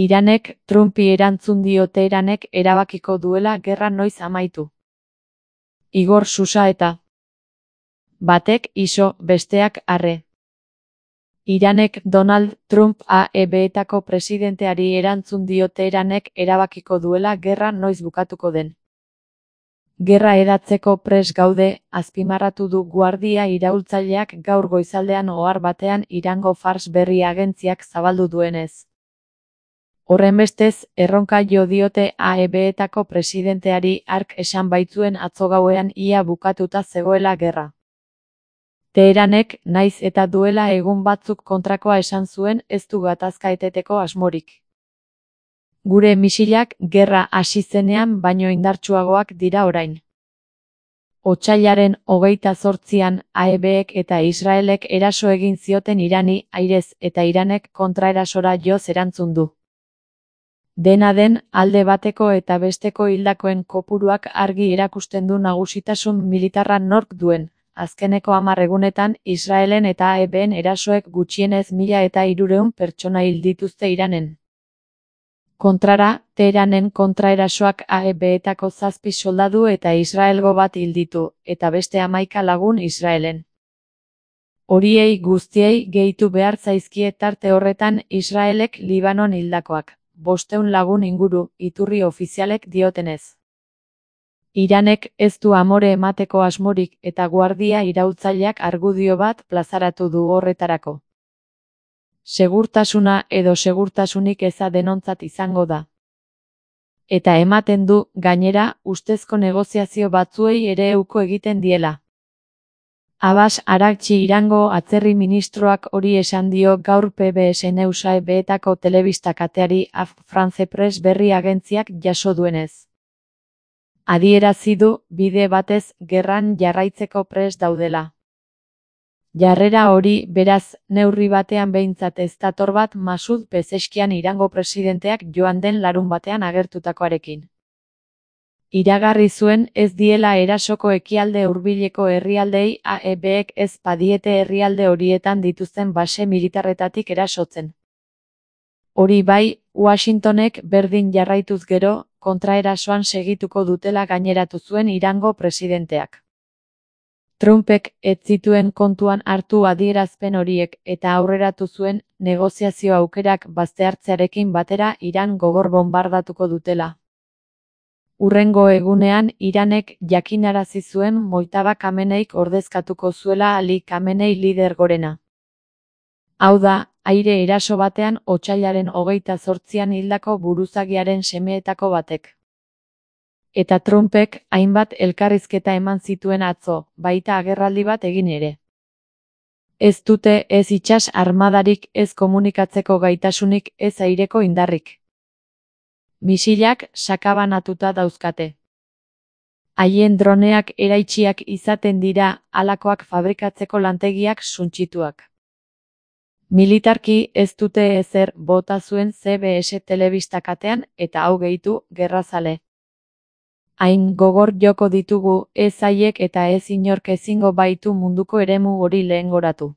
Iranek Trumpi erantzun dio Teheranek erabakiko duela gerra noiz amaitu. Igor Susaeta. Batek iso, besteak arre. Iranek Donald Trump AEB-etako presidenteari erantzun dio Teheranek erabakiko duela gerra noiz bukatuko den. Gerra edatzeko prest gaude, azpimarratu du Guardia iraultzaileak gaur goizaldean ohar batean Irango Fars berri agentziak zabaldu duenez. Horrenbestez, erronka jo diote AEB-etako presidenteari hark esan baitzuen atzo gauean ia bukatuta zegoela gerra. Teheranek, naiz eta duela egun batzuk kontrakoa esan zuen, ez du gatazka eteteko asmorik. Gure misilak gerra hasi zenean baino indartsuagoak dira orain. Otsailaren 28an AEB-ek eta Israelek eraso egin zioten Irani airez eta Iranek kontraerasora joz erantzun du. Dena den, alde bateko eta besteko hildakoen kopuruak argi erakusten du nagusitasun militarra nork duen. Azkeneko 10 egunetan, Israelen eta AEB-en erasoek gutxienez 1300 pertsona hil dituzte Iranen. Kontrara, Teheranen kontraerasoak AEB-etako 7 soldadu eta Israelgo bat hil ditu, eta beste 11 lagun Israelen. Horiei guztiei gehitu behar zaizkie tarte horretan Israelek Libanon hildakoak, 500 lagun inguru, iturri ofizialek diotenez. Iranek ez du amore emateko asmorik eta Guardia iraultzaileak argudio bat plazaratu du horretarako. Segurtasuna edo segurtasunik eza denontzat izango da. Eta ematen du, gainera, ustezko negoziazio batzuei ere uko egiten diela. Abbas Araghchi Irango atzerri ministroak hori esan dio gaur PBS News AEB-etako telebista kateari France Press berri agentziak jaso duenez. Adierazi du, bide batez, gerran jarraitzeko prest daudela. Jarrera hori, beraz, neurri batean behintzat ez dator bat Masud Pezeskian Irango presidenteak joan den larunbatean agertutakoarekin. Iragarri zuen ez diela erasoko ekialde hurbileko herrialdei AEB-ek ez badiete herrialde horietan dituzten base militarretatik erasotzen. Hori bai, Washingtonek berdin jarraituz gero, kontraerasoan segituko dutela gaineratu zuen Irango presidenteak. Trumpek ez zituen kontuan hartu adierazpen horiek eta aurreratu zuen negoziazio aukerak baztertzearekin batera Iran gogor bonbardatuko dutela. Hurrengo egunean Iranek jakinarazi zuen Mojtaba Khameneik ordezkatuko zuela Ali Khamenei lider gorena. Hau da, aire eraso batean otsailaren 28an hildako buruzagiaren semeetako batek. Eta Trumpek hainbat elkarrizketa eman zituen atzo, baita agerraldi bat egin ere. Ez dute ez itsas armadarik, ez komunikatzeko gaitasunik, ez aireko indarrik. Misilak sakabanatuta dauzkate. Haien droneak eraitsiak izaten dira, halakoak fabrikatzeko lantegiak suntsituak. Militarki ez dute ezer bota zuen CBS telebista katean eta hau gehitu gerrazale. Hain gogor joko ditugu ez haiek eta ez inork ezingo baitu munduko eremu hori lehengoratu.